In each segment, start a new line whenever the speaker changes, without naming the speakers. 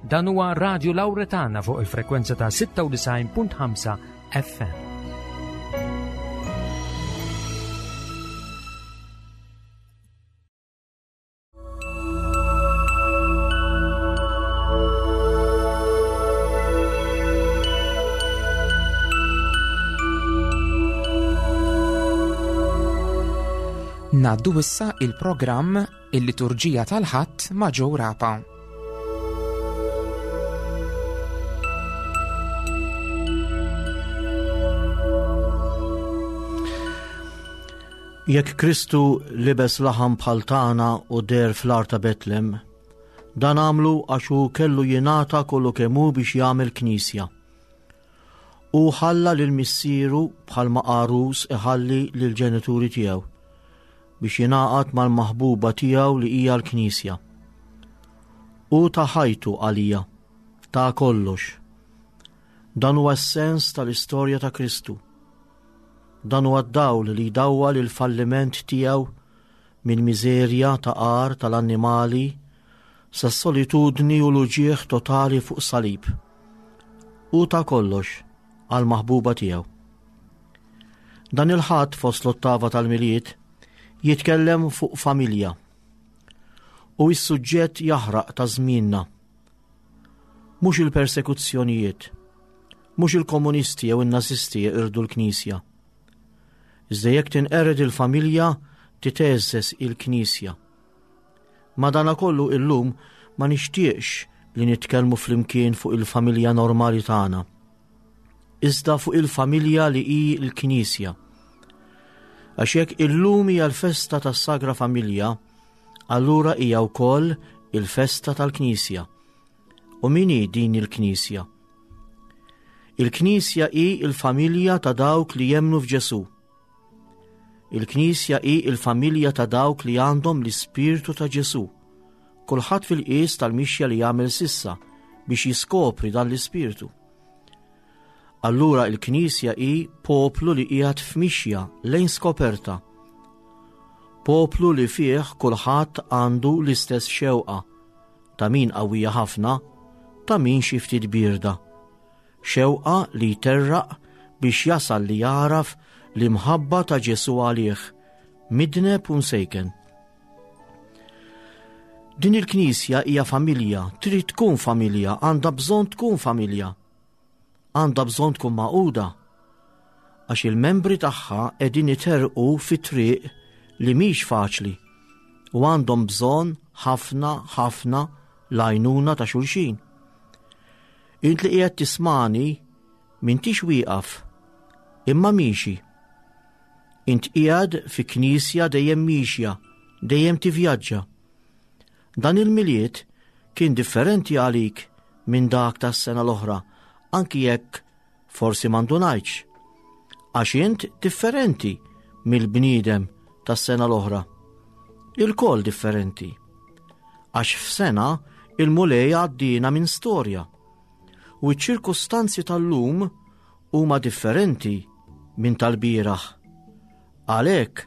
Dan huwa Radio Lauretana fuq il-frekwenza ta' 96.5 FM.
Naddu issa il-programm Il-Liturġija tal-Ħadd ma' Joe Rapa.
Jekk Kristu libes laħam bħal tagħna u der fl-ar ta' Betlem, dan għamlu għax hu kellu jingħata kollu kemm hu biex jagħmel knisja. Hu ħalla lil missieru bħalma għarus iħalli lill-ġenituri tiegħu biex jingħaqad mal-maħbuba tiegħu li hija l-Knisja. Hu ta ħajtu għalija, ta kollox. Dan huwa s-sens tal-istorja ta' Kristu. Dan huwa d-dawl li jdawwal il-falliment tiegħu minn miżerja ta' għar tal-annimali sas-solitudni u l-uġigħ totali fuq salib. Hu ta kollox għall-maħbuba tiegħu. Dan il-Ħadd fost l-ottava tal-Milied jitkellem fuq familja u s-suġġett jaħraq ta' żmienna. Mhux il-persekuzzjonijiet, mhux il-komunisti jew in-nazisti jeqirdu l-Knisja. Iżda jekk tinqered il-familja, titeżżeż il-Knisja. Madanakollu illum ma nixtieqx li nitkellmu flimkien fuq il-familja normali tagħna. Iżda fuq il-familja li hi l-Knisja. Għax jekk illum hija l-festa tas-Sagra Familja, allura hija wkoll il-festa tal-Knisja. U min hi din il-Knisja? Il-Knisja hi l-familja ta' dawk li jemmnu f'Ġesù. Il-Knisja hi l-familja ta' dawk li għandhom l-Ispirtu ta' Ġesù. Kulħadd fil-qies tal-mixja li jagħmel sissa biex jiskopri dan l-Ispirtu. Allura il-Knisja hi poplu li qiegħed f'mixja lejn skoperta. Poplu li fih kulħadd għandu l-istess xewqa, ta' min qawwija ħafna, ta' min xi ftit bierda. Xewqa li jterraq biex jasal li jagħraf l-imħabba ta' Ġesù għalih, midneb u msejken. Din il-knisja hija familja, trid tkun familja, għandha bżonn tkun familja. Għandha bżonn tkun magħquda. Għax il-membri tagħha qegħdin iterqu fi triq li mhix faċli u għandhom bżonn ħafna ħafna l-għajnuna ta' xulxin. Int li qiegħed tismani m'intix wieqaf, imma miexi. Int qiegħed fi knisja dejjem miexja, dejjem tivvjaġġa. Dan il-Milied kien differenti għalik minn dak tas-sena l-oħra, anki jekk forsi ma ndunajtx. Għax int differenti mill-bniedem tas-sena l-oħra. Ilkoll differenti. Għax f'sena il-Mulej għaddina minn storja. U ċ-ċirkustanzi tal-lum huma differenti minn tal-bieraħ. Għalhekk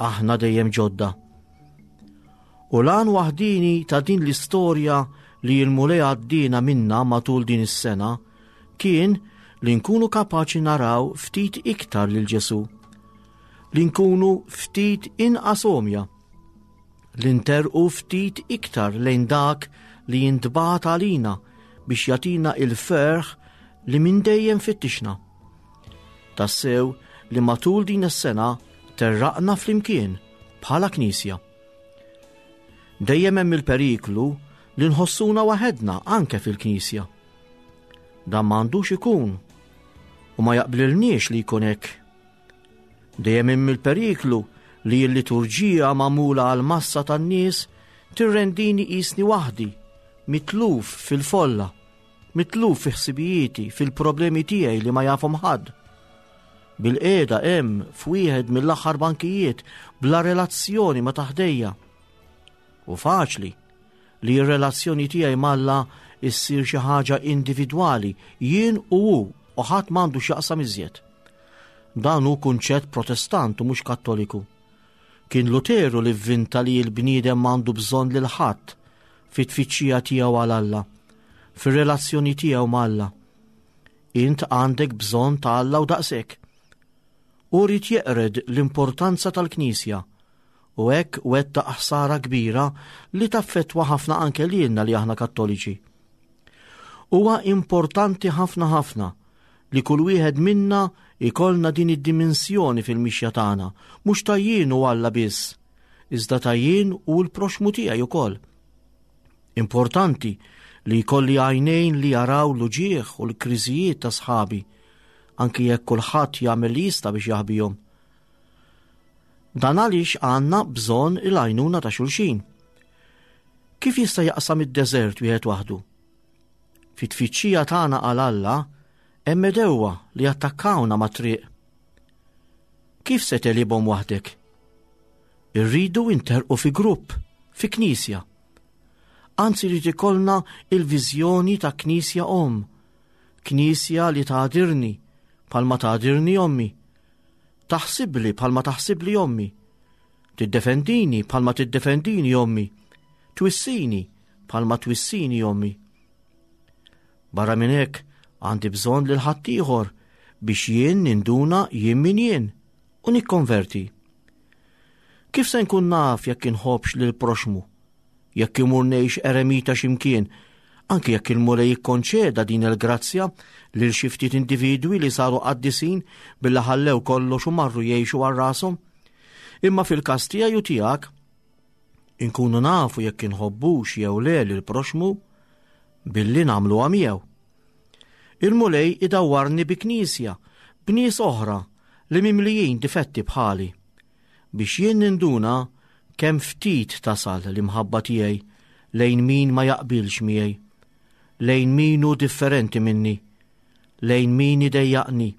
aħna dejjem ġodda. U l-għan waħdini ta' din l-istorja li l-Mulej għaddina minna matul din is-sena kien li nkunu kapaċi naraw ftit iktar lil Ġesù, li nkunu ftit inqas għomja, li nterqu ftit iktar lejn dak li jintbagħat għalina biex jagħtina il-ferħ li minn dejjem fittixna. Tassew li matul din is-sena terraqna flimkien bħala Knisja. Dejjem hemm il-periklu li nħossuna waħedna anke fil-Knisja. Dan m'għandux ikun u ma jaqblilniex li jkun hekk. Dejjem hemm il-periklu li l-liturġija magħmula għal massa tan-nies tirrendini qisni waħdi, mitluf fil-folla, mitluf fi ħsibijieti, fil-problemi tiegħi li ma jafhom ħadd. Bil-qiegħda hemm f'wieħed mill-aħħar bankijiet bla relazzjoni ma taħdejja. U faċli li r-relazzjoni tiegħi m'Alla issir xi ħaġa individwali, jien u hu u ħadd m'għandu x'jaqsam iżjed. Dan hu kunċett Protestant u mhux Kattoliku. Kien Luteru li vvinta li l-bniedem m'għandu bżonn lil ħadd fit-tfittxija tiegħu għal Alla. fir-relazzjoni tiegħu ma' Alla. Int għandek bżonn ta' Alla u daqshekk. Hu ried jeqred l-importanza tal-Knisja u hekk wettaq ħsara kbira li taffettwa ħafna anke lilna li aħna Kattoliċi. Huwa importanti ħafna ħafna li kull wieħed minna jkollna din id-dimensjoni fil-mixja tagħna, mhux ta' jien u Alla biss, iżda ta' jien u l-proxmu tiegħi ukoll. Importanti li jkolli għajnejn li jaraw l-uġigħ u l-kriżijiet ta' sħabi, anki jekk kulħadd jagħmel li jista' biex jaħbihom. Dan għaliex għandna bżonn il-għajnuna ta' xulxin. Kif jista' jaqsam id-deżert wieħed waħdu? Fit-tfittxija tagħna għal Alla hemm edewwa li jattakkawna mat-triq. Kif se tegħlibhom waħdek? Irridu interqu fi grupp, fi knisja. Anzi rrid ikollna il-viżjoni ta' knisja omm, knisja li tagħdirni bħalma tagħdirni ommi, taħsibli bħalma taħsibli ommi, tiddefendini bħalma tiddefendini ommi, twissini bħalma twissini ommi. Barra minn hekk għandi bżonn lil ħaddieħor biex jien ninduna jien min jien u nikkonverti. Kif se nkun naf jekk inħobbx lil proxmu? Jekk imur ngħix eremita x'imkien, anki jekk il-Mulej jikkonċeda din il-grazzja lil xi ftit individwi li saru qaddisin billi ħallew kollox u marru jgħixu għal rashom. Imma fil-każ tiegħi u tiegħek, inkunu nafu jekk inħobbux jew le lil proxmu billi nagħmluha miegħu. Il-Mulej idawwarni bi knisja, b'nies oħra li mimlijin difetti bħali, biex jien ninduna kemm ftit tasal l-imħabba tiegħi lejn min ma jaqbilx miegħi, lejn min hu differenti minni, lejn min idejjaqni,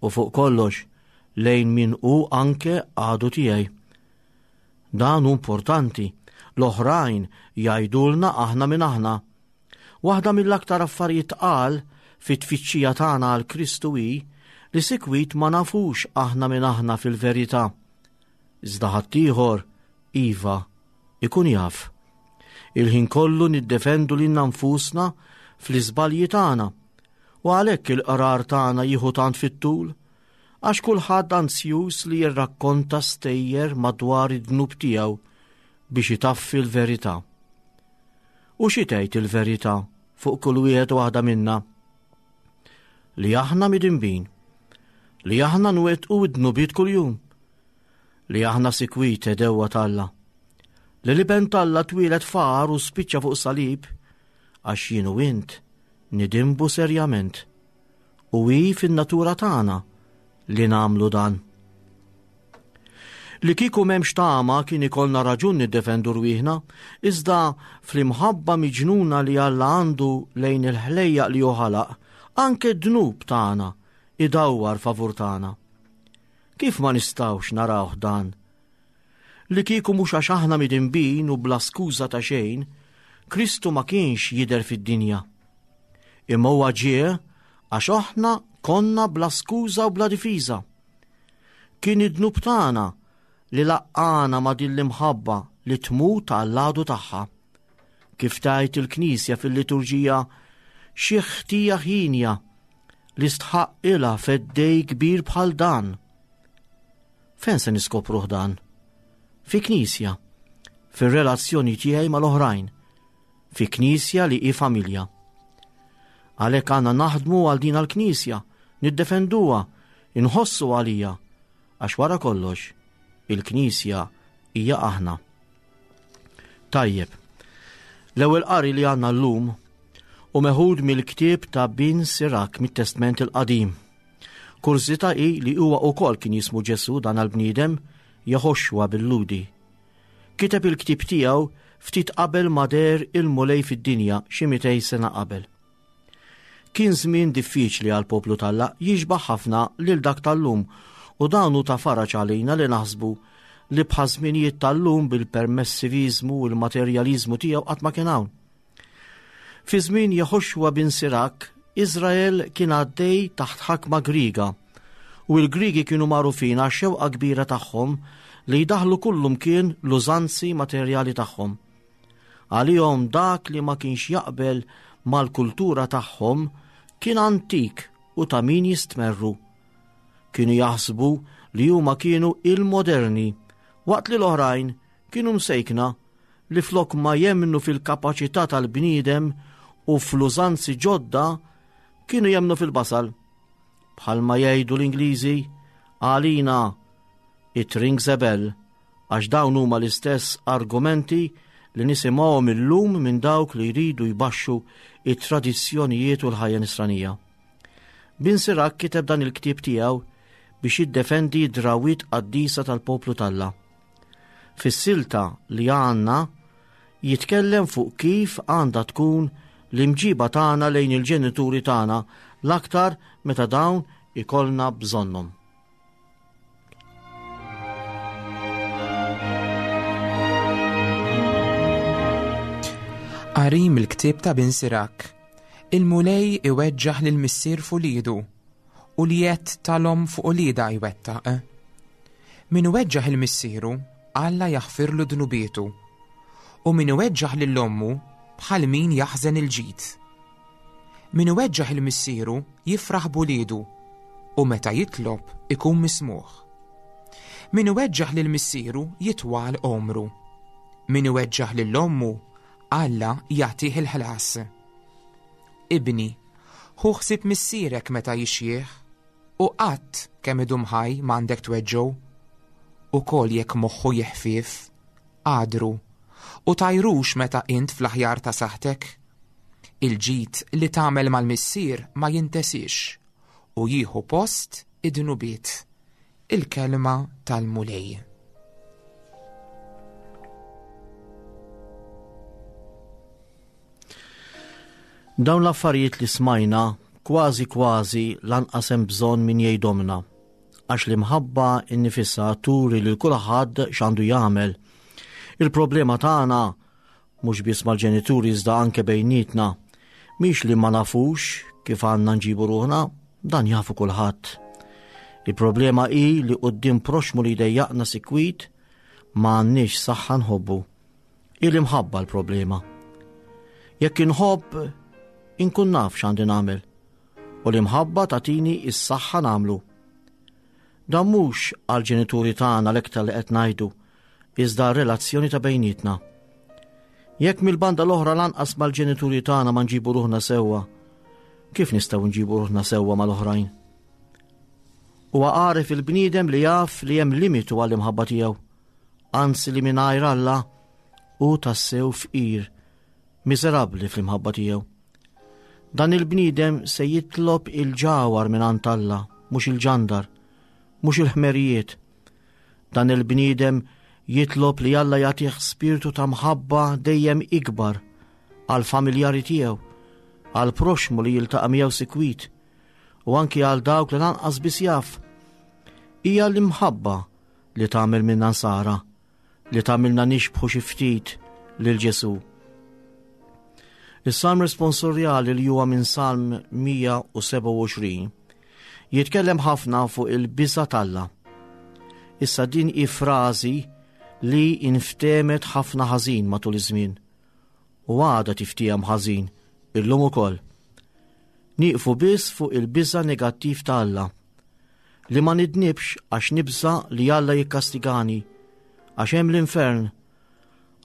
u fuq kollox lejn min hu anke għadu tiegħi. Dan hu importanti, l-oħrajn jgħidulna aħna min aħna. Waħda mill-aktar affarijiet tqal fit-tfittxija tagħna għal Kristu hi li sikwit ma nafux aħna min aħna fil-verità. Iżda ħaddieħor, iva, ikun jaf. Il-ħin kollu niddefendu lilna nfusna fl-iżbalji tagħna u għalhekk il-qrar tagħna jieħu tant fit-tul għax kulħadd anzjuż li jirrakkonta stejjer madwar id-dnub tiegħu biex itaffi l-verità. U xi tgħid il-verità fuq kull wieħed u waħda minna? Li aħna midinbin, li aħna nwettqu id-dnubiet kuljum, li aħna sikwit edewwa t'Alla, li l-iben t'Alla twieled far u spiċċa fuq salib għax jien u int nidinbu serjament. U hi fin-natura tagħna li nagħmlu dan. Li kieku m'hemmx tama kien ikollna raġun niddefendu rwieħna, iżda fl-imħabba miġnuna li Alla għandu lejn il-ħlejjaq li hu ħalaq, anke d-dnub tagħna idawwar favur tagħna. Kif ma nistgħux narawh dan? Li kieku mhux għax aħna midinbin u bla skuża ta' xejn, Kristu ma kienx jidher fid-dinja. Imma huwa ġie għax aħna konna bla skuża u bla difiża. Kien id-dnub tagħna li laqqana ma' din l-imħabba li tmut għall-għadu tagħha. Kif tgħid il-Knisja fil-liturġija, xi ħtija ħinja li stħaqqilha feddej kbir bħal dan. Fejn se niskopruh dan? Fi knisja, fir-relazzjoni tiegħi mal-oħrajn, fi knisja li hi familja. Għalhekk għandna naħdmu għal din għall-knisja, niddefenduha, inħossu għalija, għax wara kollox, il-knisja hija aħna. Tajjeb, l-ewwel qari li għandna llum u meħud mill-ktieb ta' Bin Sirak mit-Testment il-Qadim. Kurżità hi li huwa wkoll kien jismu Ġesù dan għall-bniedem Jehoshua bil-Lhudi. Kiteb il-ktieb tiegħu ftit qabel ma deher il-Mulej fid-dinja xi 200 sena qabel. Kien żmien diffiċli għall-poplu t'Alla jixbah ħafna lil dak tal-lum u dan hu ta' faraġ għalina li naħsbu li bħaż-żminijiet tal-lum bil-permessiviżmu u l-materjaliżmu tiegħu qatt ma kien hawn. Fi żmien Jehoshua bin Sirak, Iżrael kien għaddej taħt ħakma Griega u l-Griegi kienu magħrufin għax-xewqa kbira tagħhom li jdaħħlu kullumkien l-użanzi materjali tagħhom. Għalihom dak li ma kienx jaqbel mal-kultura tagħhom kien antik u ta' min jistmerru. Kienu jaħsbu li huma kienu il-moderni, waqt li l-oħrajn kienu msejkna li flok ma jemmnu fil-kapaċità tal-bniedem u fl-użanzi ġodda kienu jemmnu fil-basal. Bħalma jgħidu l-Ingliżi, għalina it rings a bell għax dawn huma l-istess argumenti li nisimgħuhom illum minn dawk li jridu jbaxxu it-tradizzjonijiet u l-ħajja nisranija. Bin Sirak kiteb dan il-ktieb tiegħu biex jiddefendi d-drawwiet qaddisa tal-poplu t'Alla. Fis-silta li għandna jitkellem fuq kif għandha tkun l-imġiba tagħna lejn il-ġenituri tagħna l-aktar meta dawn ikollna bżonnhom.
Qari mill-ktieb ta' Bin Sirak. Il-Mulej iweġġaħ lil missier f'uliedu u l-jedd tal-omm fuq uliedha jwettaq. Min iweġġaħ il missieru, Alla jaħfirlu dnubietu, u min iweġġaħ lil ommu bħal min jaħżen il-ġid. Min iweġġaħ il missieru jifraħ b'uliedu, u meta jitlob ikun mismugħ. Min iweġġaħ lil missieru jitwal għomru. Min iweġġaħ lil ommu, Alla jagħtih il-ħlas. Ibni, ħu ħsieb missierek meta jixjieħ, U qatt kemm idum ħaj m'għandek tweġġgħu. Ukoll jekk moħħu jeħfief, għadru, u tgħajrux meta int fl-aħjar ta' saħħtek. Il-ġid li tagħmel mal-missier ma jintesiex u jieħu post id-dnubiet. Il-kelma tal-Mulej.
Dawn l-affarijiet li smajna kważi kważi lanqas hemm bżonn min jgħidhomlna, għax l-imħabba nnifisha turi lil kulħadd x'għandu jagħmel. Il-problema tagħna mhux biss mal-ġenituri iżda anke bejnietna, mhix li ma nafux kif għandna nġibu ruħna, dan jafu kulħadd. Il-problema hi li quddiem proxmu li jdejjaqna sikwit ma għandniex saħħa nħobbu. Hi l-imħabba l-problema. Jekk inħobb, inkun naf x'għandi nagħmel. U l-imħabba tagħtini s-saħħa nagħmlu. Dan mhux għall-ġenituri tagħna l-iktar li qed ngħidu, iżda r-relazzjoni ta' bejnietna. Jekk mill-banda l-oħra lanqas mal-ġenituri tagħna ma nġibu ruħna sewwa, kif nistgħu nġibu ruħna sewwa mal-oħrajn? Huwa għaref il-bniedem li jaf li hemm limitu għall-imħabba tiegħu. anzi li mingħajr Alla hu tassew fqir, miżerabbli fl-imħabba tiegħu. Dan il-bniedem se jitlob il-ġawar minn għand Alla, mhux il-ġandar, mhux il-ħmerijiet. Dan il-bniedem jitlob li Alla jagħtih spirtu ta' mħabba dejjem ikbar għal familjari tiegħu, għal proxmu li jiltaqa' miegħu sikwit, u anki għal dawk li lanqas biss jaf. Hija l-imħabba li tagħmel minna nsara, li tagħmilna nixbħu xi ftit lil Ġesù. Is-salm responsorjali li huwa minn Salm 127 jitkellem ħafna fuq il-biża t'Alla. Issa din hi frażi li inftemet ħafna ħażin matul iż-żmien u għadha tiftiehem ħażin illum ukoll. Nieqfu biss fuq il-biża negattiv ta' Alla Li ma nidnibx għax nibża' li Alla jikkastigani, għax hemm l-infern,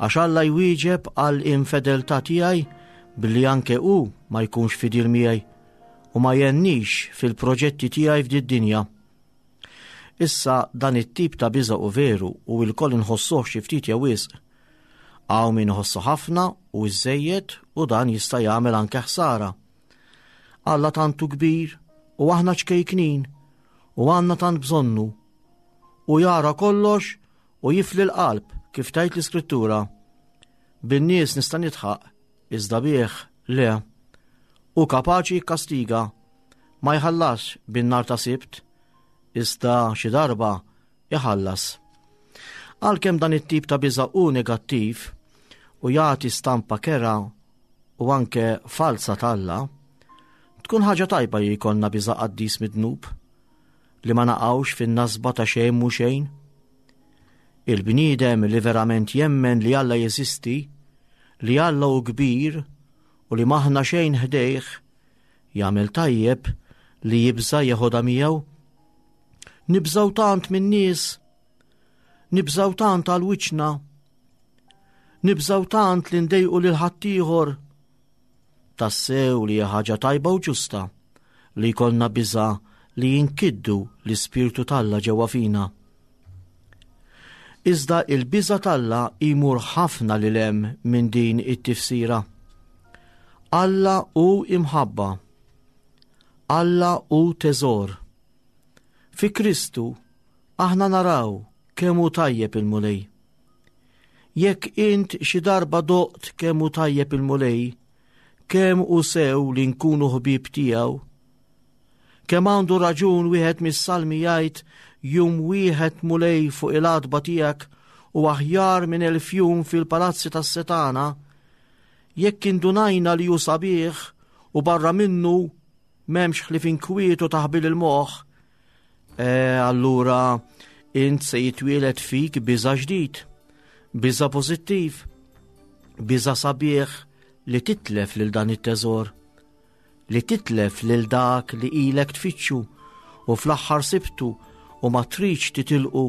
għax Alla jwieġeb għal infedeltà tiegħi billi anke hu ma jkunx fidil miegħi u ma jgħennix fil-proġetti tiegħi f'did-dinja. Issa dan it-tip ta' biża' u veru u lkoll inħossuh xi ftit jew wisq. Hawn min iħossu ħafna u iżżejjed u dan jista' jagħmel anke ħsara. Alla tant hu kbir u aħna ċkejknin u għandna tant bżonnu. U jara kollox u jifli l-qalb kif tgħid l-Iskrittura. Bin-nies nista' nidħaq, iżda bih le. Hu kapaċi jikkastiga, ma jħallasx bin-nar ta' Sibt, iżda xi darba iħallas. Għalkemm dan it-tip ta' biża' hu negattiv u jagħti stampa kerha u anke falza t'Alla, tkun ħaġa tajba li jkollna biża' qaddis mid-dnub, li ma naqgħux fin-nasba ta' xejn mhu xejn. Il-bniedem li verament jemmen li Alla jeżisti, li Alla hu kbir. u li m'aħna xejn ħdejh, jagħmel tajjeb li jibża' jeħodha miegħu. Nibżgħu tant min-nies, nibżgħu tant għal wiċċna, nibżgħu tant li ndejqu lil ħaddieħor. Tassew li hija ħaġa tajba u ġusta li jkollna biża' li jinkiddu l-Ispirtu t'Alla ġewwa fina. Iżda il-biża' t'Alla jmur ħafna lil hemm minn din it-tifsira. Alla hu imħabba. Alla hu teżor. Fi Kristu aħna naraw kemm hu tajjeb il-Mulej. Jekk int xi darba doqt kemm hu tajjeb il-Mulej, kemm hu sew li nkunu ħbieb tiegħu, Kemm għandu raġun wieħed mis-salmi jgħid jum wieħed Mulej fuq il-għatba tiegħek u aħjar minn elf jum fil-palazzi tas-setana, jekk indunajna li hu sabiħ u barra minnu m'hemmx ħlief inkwiet u taħbil il-moħħ, e, allura int se jitwieled fik biża' ġdid, biża' pożittiv, biża' sabiħ li titlef lil dan it-teżor. li titlef lil dak li ilek tfittxu u fl-aħħar sibtu u ma tridx titilqu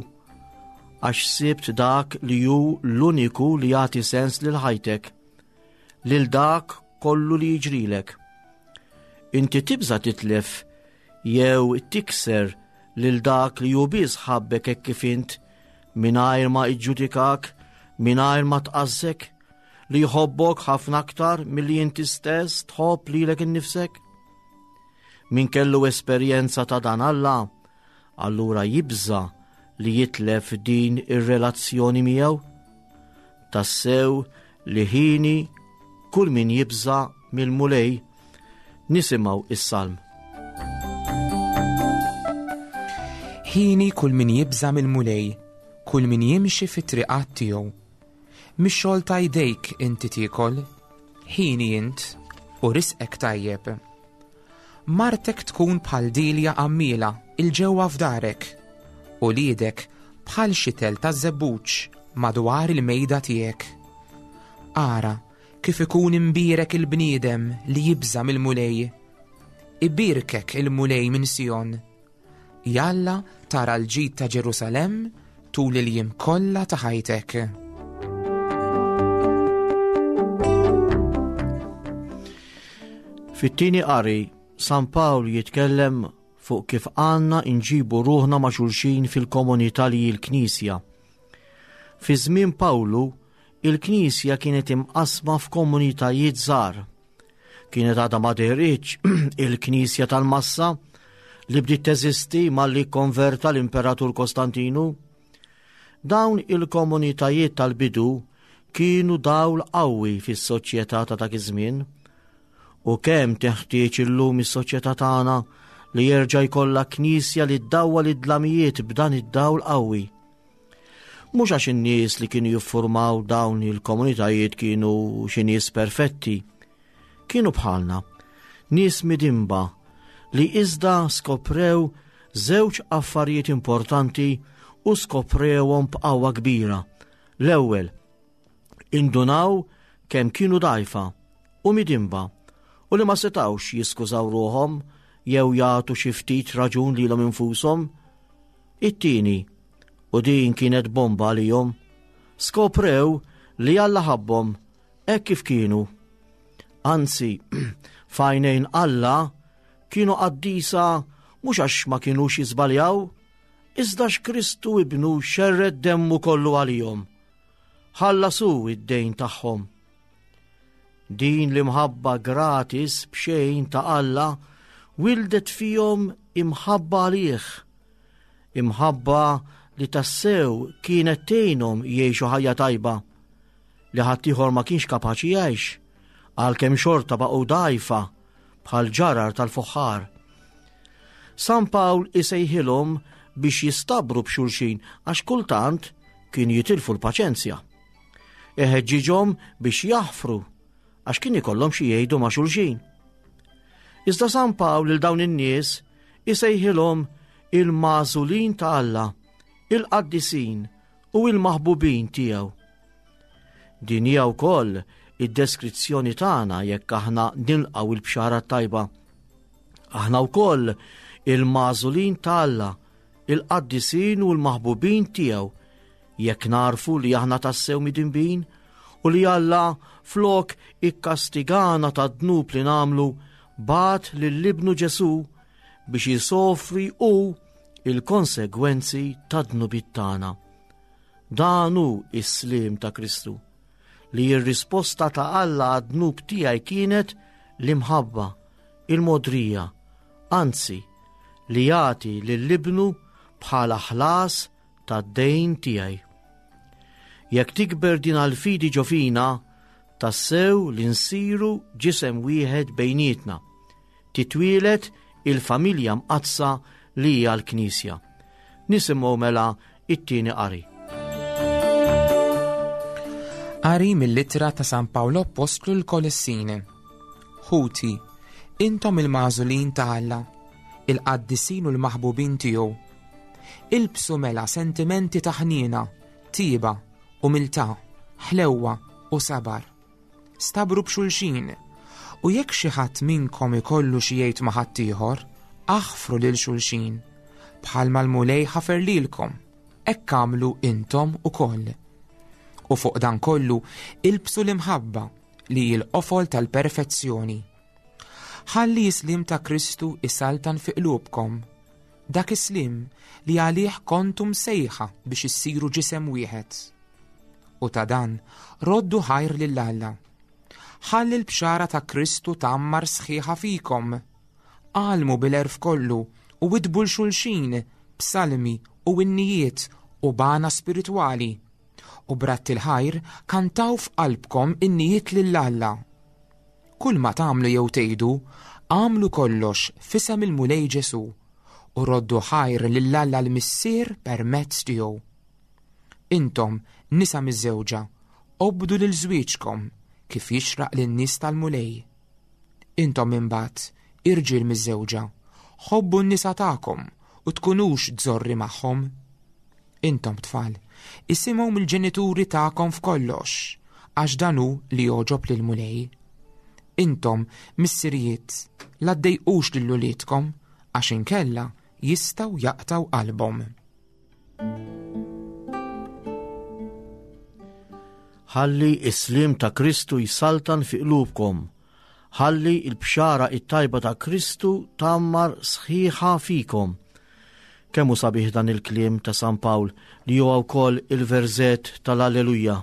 għax sibt dak li hu l-uniku li jagħti sens lil ħajtek, lil dak kollu li jiġrilek. Inti tibża titlef jew tikser lil dak li hu biss ħabbek hekk kif int mingħajr ma iġġudikak, mingħajr ma tqażżek, li jħobbok ħafna aktar milli inti stess tħobb lilek innifsek? Min kellu esperjenza ta' dan Alla, allura jibża li jitlef din ir-relazzjoni miegħu? Tassew li ħini kull min jibża mill-Mulej nisimgħu is-salm.
Ħini kull min jibża mill-Mulej, kull min jimxi fit-triqat tiegħu. Mix-xogħol ta' jdejk inti tiekol, ħini int u risqek tajjeb. Martek tkun bħal dilja għammiela 'il ġewwa f'darek, uliedek bħal xitel taż-żebbuġ madwar il-mejda tiegħek. Ara kif ikun imbierek il-bniedem li jibża' mill-Mulej. Ibierkek il-Mulej minn Sijon. Jalla tara l-ġid ta' Ġerusalemm tul il-jiem kollha ta' ħajtek.
Fit-tieni qari, San Pawl jitkellem fuq kif għandna nġibu ruħna ma' xulxin fil-komunità li hi l-Knisja. Fi żmien Pawlu, il-Knisja kienet imqassma f'komunitajiet żgħar. Kienet għadha ma dehritx il-Knisja tal-massa li bdiet teżisti malli kkonverta l-Imperatur Kostantinu. Dawn il-komunitajiet tal-bidu kienu dawl qawwi fis-soċjetà ta' dak iż-żmien. U kemm teħtieġ illum is-soċjetà tagħna li jerġa' jkollha knisja li ddawwal id-dlamijiet b'dan id-dawl qawwi. Mhux għax in-nies li kienu jiffurmaw dawn il-komunitajiet kienu xi nies perfetti. Kienu bħalna, nies midinba li iżda skoprew żewġ affarijiet importanti u skoprewhom b'qawwa kbira. L-ewwel, indunaw kemm kienu dgħajfa u midinba u li ma setgħux jiskużaw ruħhom jew jagħtu xi ftit raġun lilhom infushom. It-tieni, u din kienet bomba għalihom, skoprew li Alla ħabbhom hekk kif kienu. Anzi, f'għajnejn Alla kienu qaddisa mhux għax ma kinux jiżbaljaw, iżda x'Kristu ibnu xerred demmu kollu għalihom. Ħallasu id-dejn tagħhom. Din l-imħabba gratis b'xejn ta' Alla wildet fihom imħabba għalih Imħabba li tassew kienet tgħinhom jgħixu ħajja tajba li ħaddieħor ma kienx kapaċi jgħix, għalkemm xorta baqgħu dgħajfa bħal ġarar tal-fuħħar. San Pawl isejħilhom biex jistabru b'xulxin għax kultant kienu jitilfu l-paċenzja. Iħeġġiġhom biex jaħfru għax kien ikollhom xi jgħidu ma' xulxin. Iżda San Pawl lil dawn in-nies isejħilhom il-magħżulin ta' Alla, il-qaddisin u il-maħbubin tiegħu. Din hija wkoll id-deskrizzjoni tagħna jekk aħna nilqgħu il-bxara tajba. Aħna wkoll il-magħżulin ta' Alla, il-qaddisin u l-maħbubin tiegħu, jekk narfu li aħna tassew midinbin u li Alla flok ikkastigana ta' dnub li nagħmlu bagħat lil ibnu Ġesù biex jisofri hu il-konsegwenzi ta' dnubiet tagħna. Dan hu s-sliem ta' Kristu, li r-risposta ta' Alla għad-dnub tiegħi kienet l-imħabba, il-mogħdrija, anzi, li jagħti lil ibnu bħala ħlas tad-dejn tiegħi. Jekk tikber din għall-fidi ġo fina, tassew li nsiru ġisem wieħed bejnietna. Titwieled il-familja mqaddsa li hija l-Knisja. Nisimgħu mela it-tieni qari.
Qari mill-ittra ta' San Pawl Appostlu l-Kolessin. Ħuti, intom il-magħżulin ta' Alla, il-qaddisin u l-maħbubin tiegħu. Ilbsu mela sentimenti ta' ħniena, tieba, umiltà, ħlewwa u sabar. Stabru b'xulxin, u jekk xi ħadd minnkom ikollu xi jgħid ma' ħaddieħor, aħfru lil xulxin, bħalma l-Mulej ħafer lilkom, hekk agħmlu intom ukoll. U fuq dan kollu ilbsu l-imħabba li hi l-qofol tal-perfezzjoni. Ħalli s-sliem ta' Kristu isaltan fi qlubkom, dak is-sliem li għalih kontu msejħa biex issiru ġisem wieħed. U ta' dan roddu ħajr lil Alla. Ħalli l-bxara ta' Kristu tgħammar sħiħa fikom. Għallmu bil-għerf kollu u widdbu 'l xulxin b'salmi u innijiet u b'għana spiritwali. U b'radd il-ħajr kantaw f'qalbkom innijiet lil Alla. Kull ma tagħmlu jew tgħidu, agħmlu kollox f'isem il-Mulej Ġesù u roddu ħajr lil Alla l-Missier permezz tiegħu. Intom, nisa miżżewġa, obdu lil żwieġkom kif jixraq lin-nies tal-Mulej. Intom imbagħad, irġiel miżżewġa, ħobbu n-nisa tagħkom u tkunux żorri magħhom. Intom tfal, isimgħu mill-ġenituri tagħkom f'kollox, għax dan hu li jogħġob lill-Mulej. Intom, missirijiet, la ddejqux lil uliedkom, għax inkella jistgħu jaqtgħu qalbhom.
Ħalli s-sliem ta' Kristu jsaltan fi qlubkom. Ħalli l-bxara it-tajba ta' Kristu tgħammar sħiħa fikom. Kemm hu sabiħ dan il-kliem ta' San Pawl li huwa wkoll il-verżett tal-Alleluja.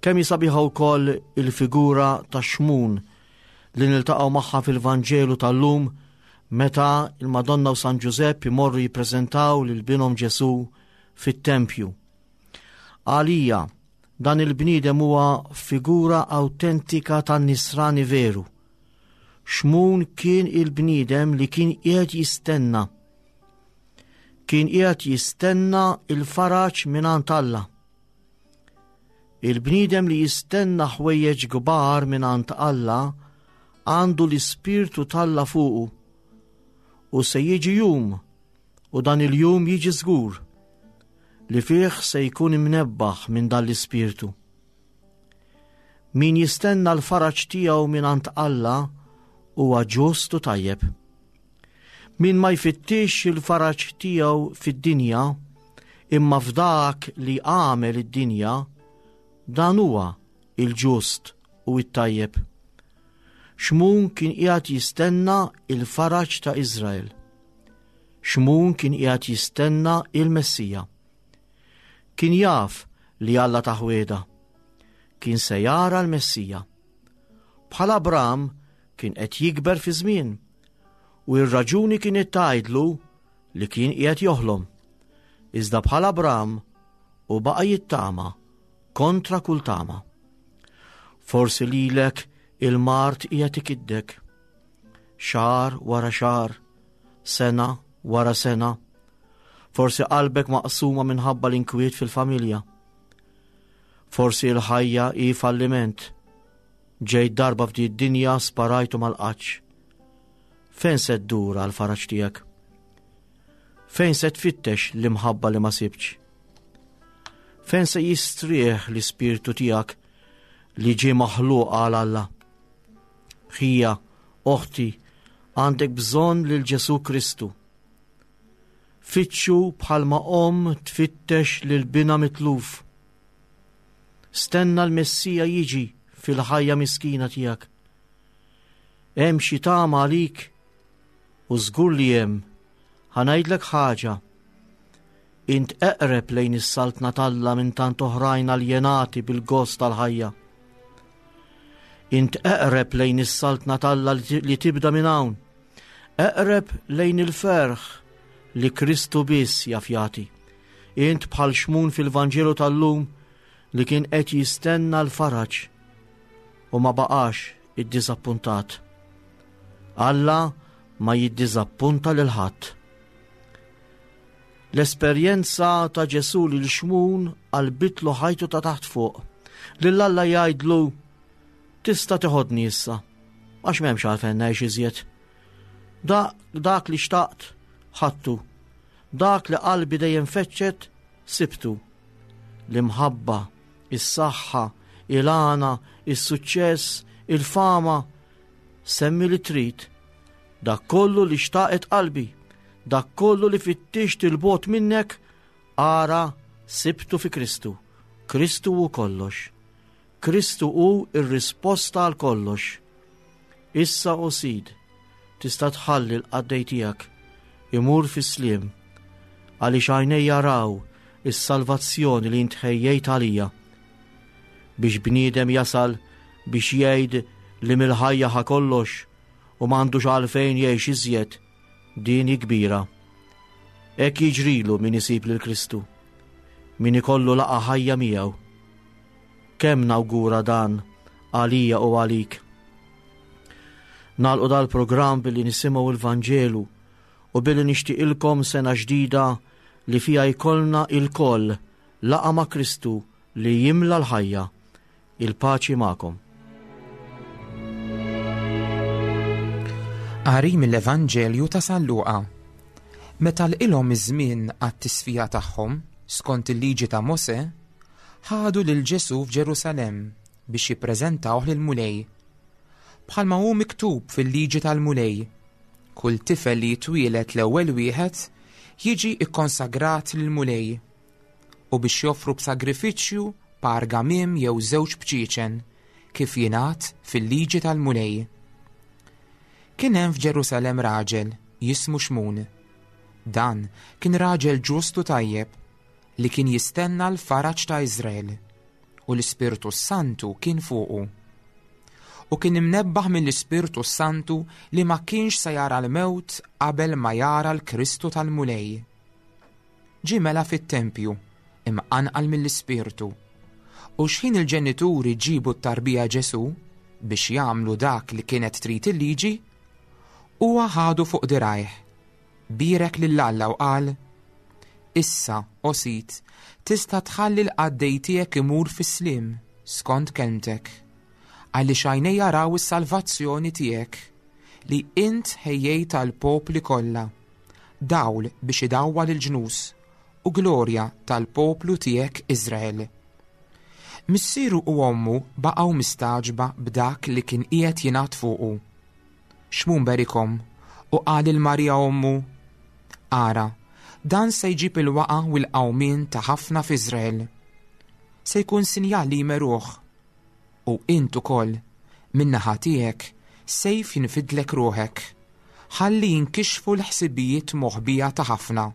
Kemm hi sabiħa wkoll il-figura ta' Xmun li niltaqgħu magħha fil-Vanġelu tal-lum meta il-Madonna u San Ġużepp imorru jippreżentaw lil binhom Ġesù fit-tempju. Għalija, dan il-bniedem huwa figura awtentika tan-nisrani veru. Xmun kien il-bniedem li kien qiegħed jistenna. Kien qiegħed jistenna il-faraġ mingħand Alla. Il-bniedem li jistenna ħwejjeġ kbar mingħand Alla għandu l-Ispirtu t'Alla fuqu. U se jiġi jum, u dan il-jum jiġi żgur, li fih se jkun imnebbaħ minn dan l-Ispirtu. Min jistenna l-faraġ tiegħu mingħand Alla huwa ġust u tajjeb. Min ma jfittix il-faraġ tiegħu fid-dinja, imma f'dak li għamel id-dinja, dan huwa il-ġust u it-tajjeb. Xmun kien qiegħed jistenna il-faraġ ta' Iżrael. Xmun kien qiegħed jistenna il-Messija. Kien jaf li Alla tah wegħda. Kien se jara l-Messija. Bħal Abram kien qed jikber fi żmien u r-raġuni kienet tgħidlu li kien qiegħed joħlom. Iżda bħal Abram u baqa' jittama kontra kull tama. Forsi lilek il-mard qiegħed ikiddek. Xahar wara xahar, sena wara sena. Forsi qalbek maqsuma minħabba l-inkwiet fil-familja. Forsi l-ħajja hi falliment. Ġejt darba f'di d-dinja sparajtu mal-qaċ. Fejn se ddur għal faraġ tiegħek? Fejn se tfittex l-imħabba li ma sibtx? Fejn se jistrieħ l-ispirtu tiegħek? li ġie maħluq għal Alla. Ħija, oħti, għandek bżonn lil Ġesù Kristu. Fittxu bħalma omm tfittex lil binha mitluf. Stenna l-Messija jiġi fil-ħajja miskina tiegħek. Hemm xi tama għalik u żgur li hemm. Ħa ngħidlek ħaġa. Int eqreb lejn is-saltna t'Alla minn tant oħrajn aljenati bil-gost tal-ħajja. Int eqreb lejn is-saltna t'Alla li tibda minn hawn. Eqreb lejn il-ferħ li Kristu biss jaf jagħti. Int bħal Xmun fil-Vanġelu tal-lum li kien qed jistenna l-faraġ u ma baqax iddiżappuntat. Alla ma jiddiżappunta lil ħadd. L-esperjenza ta' Ġesù lil Xmun qalbitlu ħajtu ta' taħt fuq. Lil Alla jgħidlu tista' teħodni issa, għax m'hemmx għalfejn ngħix iżjed. Da, dak li xtaqt, ħadtu. Dak li qalbi dejjem feċċet, sibtu. L-imħabba, is-saħħa, il-għana, is-suċċess, il-fama, semmi li trid. Dak kollu li xtaqet qalbi, dak kollu li fittixt il-bot minnek, ara sibtu fi Kristu. Kristu hu kollox. Kristu hu r-risposta għal kollox. Issa, o Sid, tista' tħalli l-qaddej tiegħek imur fis-sliem, għaliex għajnejja raw is-salvazzjoni li int ħejjejt għalija. Biex bniedem jasal biex jgħid li mill-ħajja ħa kollox u m'għandux għalfejn jgħix iżjed, din hi kbira. Hekk jiġrilu min isib lil Kristu, min ikollu laqgħa ħajja miegħu. Kemm nawgura dan għalija u għalik. Nagħlqu dal-programm billi nisimgħu il-Vanġelu u billi nixtieqilkom sena ġdida li fiha jkollna ilkoll laqgħa ma' Kristu li jimla l-ħajja. Il-paċi magħkom.
Qari mill-Evanġelju ta' San Luqa. Meta lqilhom iż-żmien għat-tisfija tagħhom, skont il-liġi ta' Mosè, ħadu lil Ġesù f'Ġerusalemm biex jippreżentawh lill-Mulej. Bħalma hu miktub fil-liġi tal-Mulej, kull tifel li jitwieled l-ewwel wieħed jiġi kkonsagrat lill-Mulej u biex joffru b'sagrifiċċju par gamiem jew żewġ bċieċen, kif jingħad fil-liġi tal-Mulej. Kien hemm f'Ġerusalemm raġel jismu Xmun. Dan kien raġel ġust u tajjeb li kien jistenna l-faraġ ta' Iżrael, u l-Ispirtu s-Santu kien fuqu. U kien imnebbaħ mill-Ispirtu s-Santu li ma kienx se jara l-mewt qabel ma jara l-Kristu tal-Mulej. Ġie mela fit-tempju, imqanqal mill-Ispirtu. U xħin il-ġenituri ġiebu t-tarbija Ġesù biex jagħmlu dak li kienet trid il-liġi, huwa ħadu fuq dirgħajh, bierek lil Alla u qal, Issa, o Sid, tista' tħalli l-qaddej tiegħek imur fis-sliem, skont kelmtek. Għaliex għajnejja raw is-salvazzjoni tiegħek, li int ħejjejt għall-popli kollha. dawl biex idawwal il-ġnus, u glorja tal-poplu tiegħek Iżrael. Missieru u ommu baqgħu mistagħġba b'dak li kien qiegħed jingħad fuqu. Xmun berikhom u qal lil Marija ommu, Ara, dan se jġib il-waqgħa u l-qawmien ta' ħafna f'Iżrael. Se jkun sinjal li jmeruh, U int ukoll, min-naħa tiegħek, sejf jinfidlek ruħek, ħalli jinkixfu l-ħsibijiet moħbija ta' ħafna.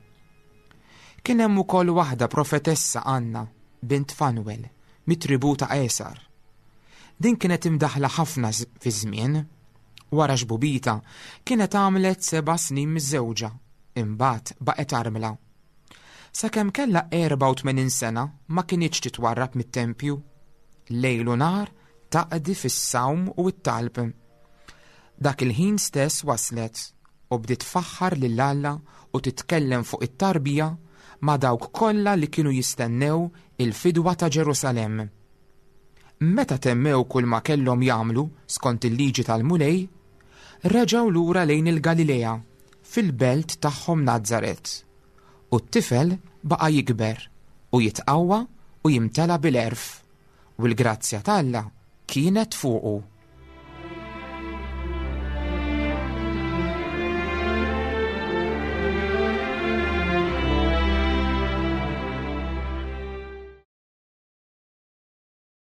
Kien hemm ukoll waħda profetessa Anna, bint Fanwel, mit-tribù ta' Għesar. Din kienet imdaħħla ħafna fiż-żmien. Wara xbubita, kienet għamlet seba' snin miżżewġa, imbagħad baqgħet armla. Sakemm kellha 84 sena ma kinitx titwarrab mit-tempju. Lejl u nhar taqdi fis-sawm u t-talb. Dak il-ħin stess waslet u bdiet tfaħħar lil Alla u titkellem fuq it-tarbija ma' dawk kollha li kienu jistennew il-fidwa ta' Ġerusalemm. Meta temmew kulma kellhom jagħmlu skont il-liġi tal-Mulej, reġgħu lura lejn il-Galilea, fil-belt tagħhom Nazaret. U t-tifel baqa' jikber u jitqawwa u jimtela bil-għerf, u l-grazzja t'Alla kienet fuqu.